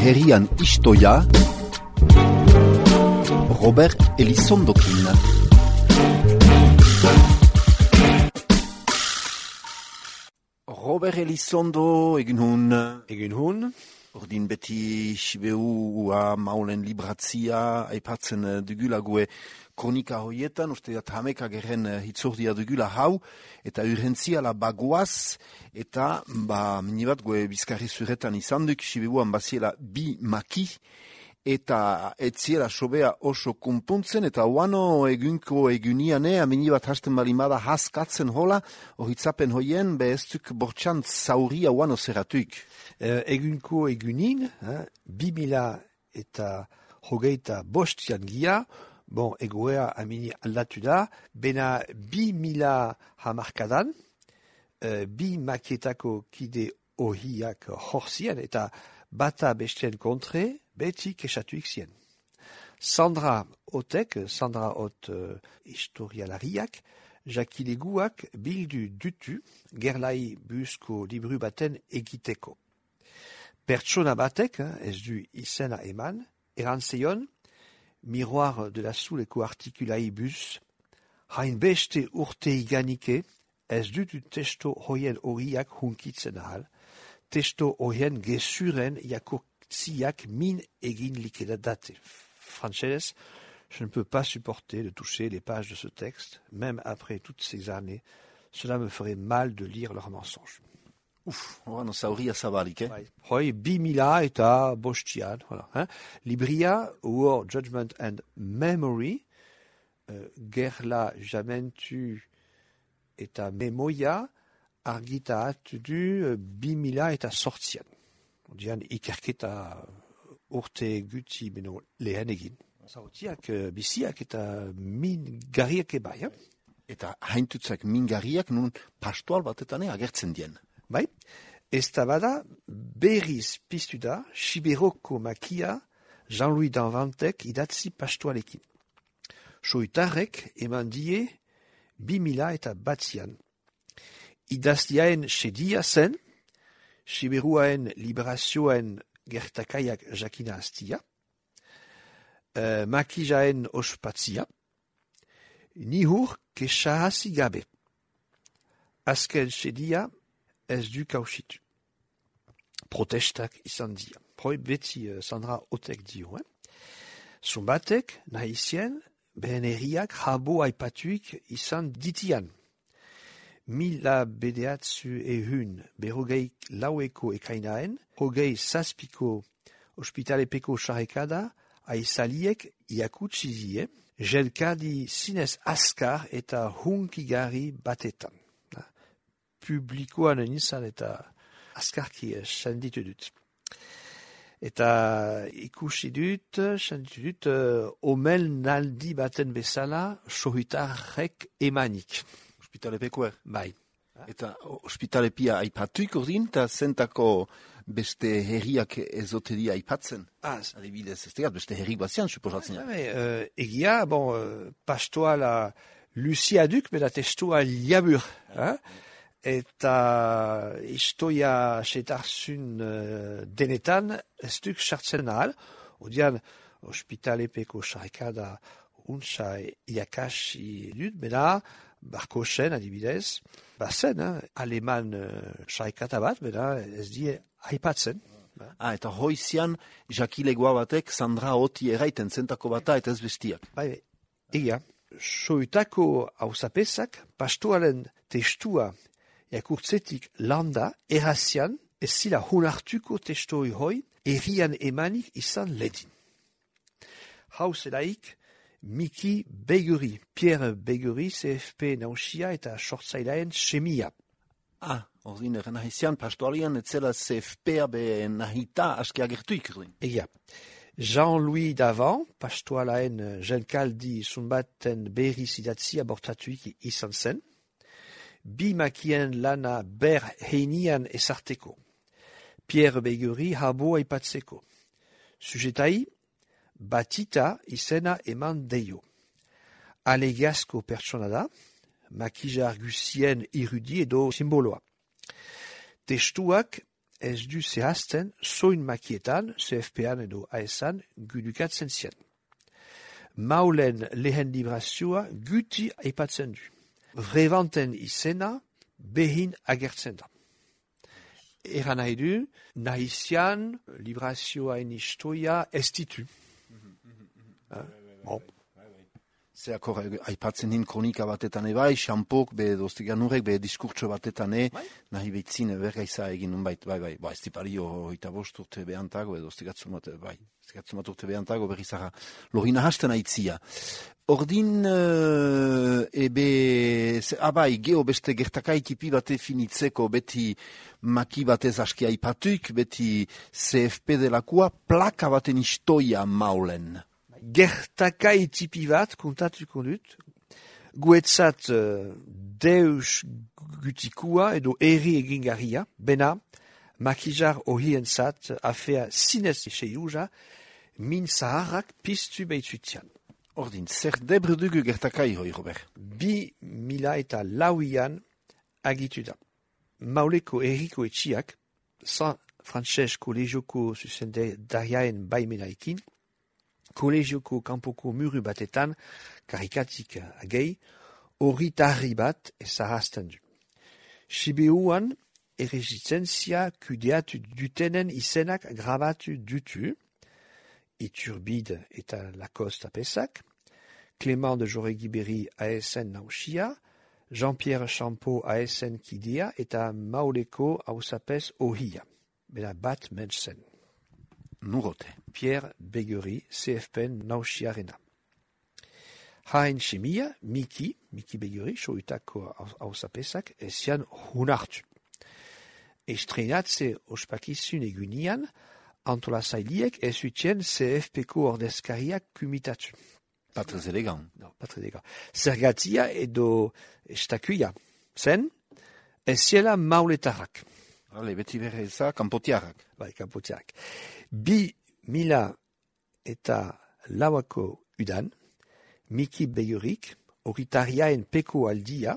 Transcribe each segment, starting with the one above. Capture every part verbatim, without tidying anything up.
herrian istoia, Robert Elizondokin. Robert Elizondo, egin hun. Egin hun. Ordin beti sibeua maulen libratzia, aipatzen dugulague kronika hoietan, uste dat hameka geren hitzordia dugula hau, eta urgentziala bagoaz, eta ba, minibat goe bizkarri zuretan izan duk, sibeuan baziela bi maki, eta etziela sobea oso kumpuntzen, eta oano egunko eguniane, amini bat hasten balimada haskatzen hola, ohitzapen hoien, beheztuk bortxan zauria oano zeratuik. Uh, egunko egunin, eh, bi mila eta hogeita bostian gia, bon, egoea amini aldatu da, bena bi mila hamarkadan, uh, bi makietako kide ohiak horzien, eta bata bestien kontre, beti kesatuik zien. Sandra Otek, Sandra Ot uh, historialariak, jakileguak bildu dutu gerlai busko libru baten egiteko. Pertsona batek, ez du izena eman, erantzeion, miroir de la zuleko artikulai bus, hain beste urte iganike, ez dutu testo hoien horiak hunkitzen ahal, testo hoien gesuren jakotziak min egin likedadate. Frances, je ne peux pas supporter de toucher les pages de ce texte, même après toutes ces années, cela me ferait mal de lire leurs mensonges. Uf, oano zauria zabalik, eh? Bai. Hoi, bi mila eta bostian, voilà. Hein? Libria, War, Judgment and Memory, uh, gerla jamentu eta memoia, argitaat du uh, bi mila eta sortzian. Dian, ikerketa urte guti beno lehen egin. Zautiak, uh, biziak eta min garriak ebai, eh? Eta haintutzak min garriak nun pastoal batetane agertzen dien. Bai, ez da bada berriz piztu da Siberoko makia Jean-Louis Danvantek idatzi pastoalekin. Soitarrek eman die bi mila eta batzian. Idaztiaen sedia zen, Siberuaen liberazioen gertakaiak jakina aztia, uh, makijaen ospatzia, nihur kesahasi gabe. Azken sedia ez du kausitu. Protestak izan dia. Hoi beti uh, Sandra Otek dio. Eh? Zumbatek, nahizien, behen herriak jabo aipatuik izan ditian. Mila bedeatzu ehun berrogeik laueko ekainaen, hogei zazpiko ospitalepeko sarrekada aizaliek iakutzizie, jelkadi zinez askar eta hunkigarri batetan. Publikoan nintzen eta askarki senditu dut. Eta ikusi dut, senditu dut, uh, omel naldi baten bezala sohitarrek emanik. Ospitalepekoer? Bai. Eta ospitalepia aipatuik ordin, eta zentako beste herriak ezoteria aipatzen? Ah, adibidez, ez tegat, beste herrik bazian, suposatzen. Bai, uh, egia, bon, uh, pastoala Lucia duk, beda testoa liabur, hein? Eta istoia setarzun uh, denetan ez duk sartzen ahal, odian ospitalepeko sarrekada untsa iakasi dut, beda barkosen adibidez, bazen, eh, aleman uh, sarrekata bat, beda ez die aipatzen. Ah, eta hoizian jakilegoa batek Sandra Oti eraiten zentako bata eta ez bestiak. Bai, egia, soitako hausapesak pastoalen testua jakurtzetik landa, errazian, ez zila honartuko testoi hoi, errian emanik izan ledin. Hau zelaik, Miki Beguri, Pierre Beguri, C F P nausia eta sortzailaen semia. Ah, ordin eren nahizian, pastoalian etzela C F P-a be nahita aske agertuik. Egia. Jean-Louis Davant, pastoalaen jenkaldi zunbaten berri zidatzi abortatuik izan zen, bi makien lana ber heinian ezarteko. Pierre Beguri habo aipatzeko. Sujetai, batita izena eman deio. Alegazko pertsona da, makija argusien irudi edo simboloa. Testuak ez du zehazten soin makietan, C F P-an edo A S-an, gudukatzen zien. Maulen lehen librazioa guti aipatzen du. Vrevanten izena behin agertzen da. Eran nahi du, nahizian librazioaen historia ez ditu. Bon. Zeakor, aipatzen hin kronika batetan ebai, xampok, be doztiganurek, be diskurtso batetan e, nahi behitzin bergaiza egin unbait, bai, bai, ba, ez dipario hoita bost urte behantago, edo doztigatzumat, bai, doztigatzumat urte behantago berrizara lorina hasten aitzia. Ordin, uh, ebe, ze, abai, geho beste gertakai tipi bate finitzeko, beti maki batez aski aipatuik, beti C F P delakua, plaka baten istoia maulen. Gertakai tipi bat, kontatuko dut, guetzat uh, deus gutikua edo eri egingarria, bena, makizar ohientzat afea zinez seiuja, min zaharrak piztu behitutian. Ordin, zer debre dugu gertakai hoi, Robert? Bi mila eta lauian agitu da. Mauleko erriko etxiak, San Frances Kolegioko zuzendariaen baimenaikin, Kolegioko kanpoko muru batetan, karikatik agei, hori tarri bat ezarrazten du. Sibeuan errezistentzia kudeatu dutenen izenak grabatu dutu, Iturbide eta Lacoste apesak, Clément de Joregi-Berri A S N nausia, Jean-Pierre Champeau A S N kidea eta Mauleko hausapez ohia, bera bat mensen. Nurote. Pierre Begueri, C F P nausiarena. Hain chemia, Miki, Miki Begueri, soitako hausapesak, esian hunartu. Estreinatze ospakizun egunian, antolasailiek ezutien C F P-ko ordezkariak kumitatu. Patrez elegant. No, patrez elegant. Zergatia edo estakuia. Zen, eziela mauletarrak. Ale, beti berre eza, kanpotiarrak. Bai, kanpotiarrak. Bi mila eta lauako udan, Miki Begurik, oritariaen peko aldia,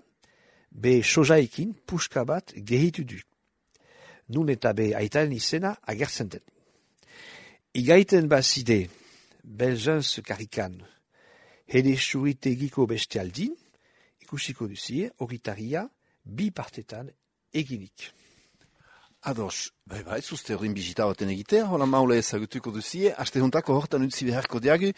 be sojaekin puska bat gehitu du. Nun eta be aitaren izena agertzen den. Igaiten bazide, belzanz karikan, hede suritegiko beste aldin, ikusiko duzie, oritaria, bi partetan eginik. Ados, bai, bai, zuzte ordin bizita baten egitea, hola maule ezagutuko duzie, aste juntako hortan utzi beharko diagu,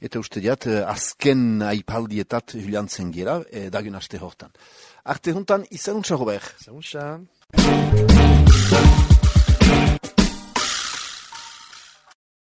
eta uste diat, azken aipaldietat juliantzen gera, e, dagun aste hortan. Arte juntan, izan untsa, Robert. Izan untsa.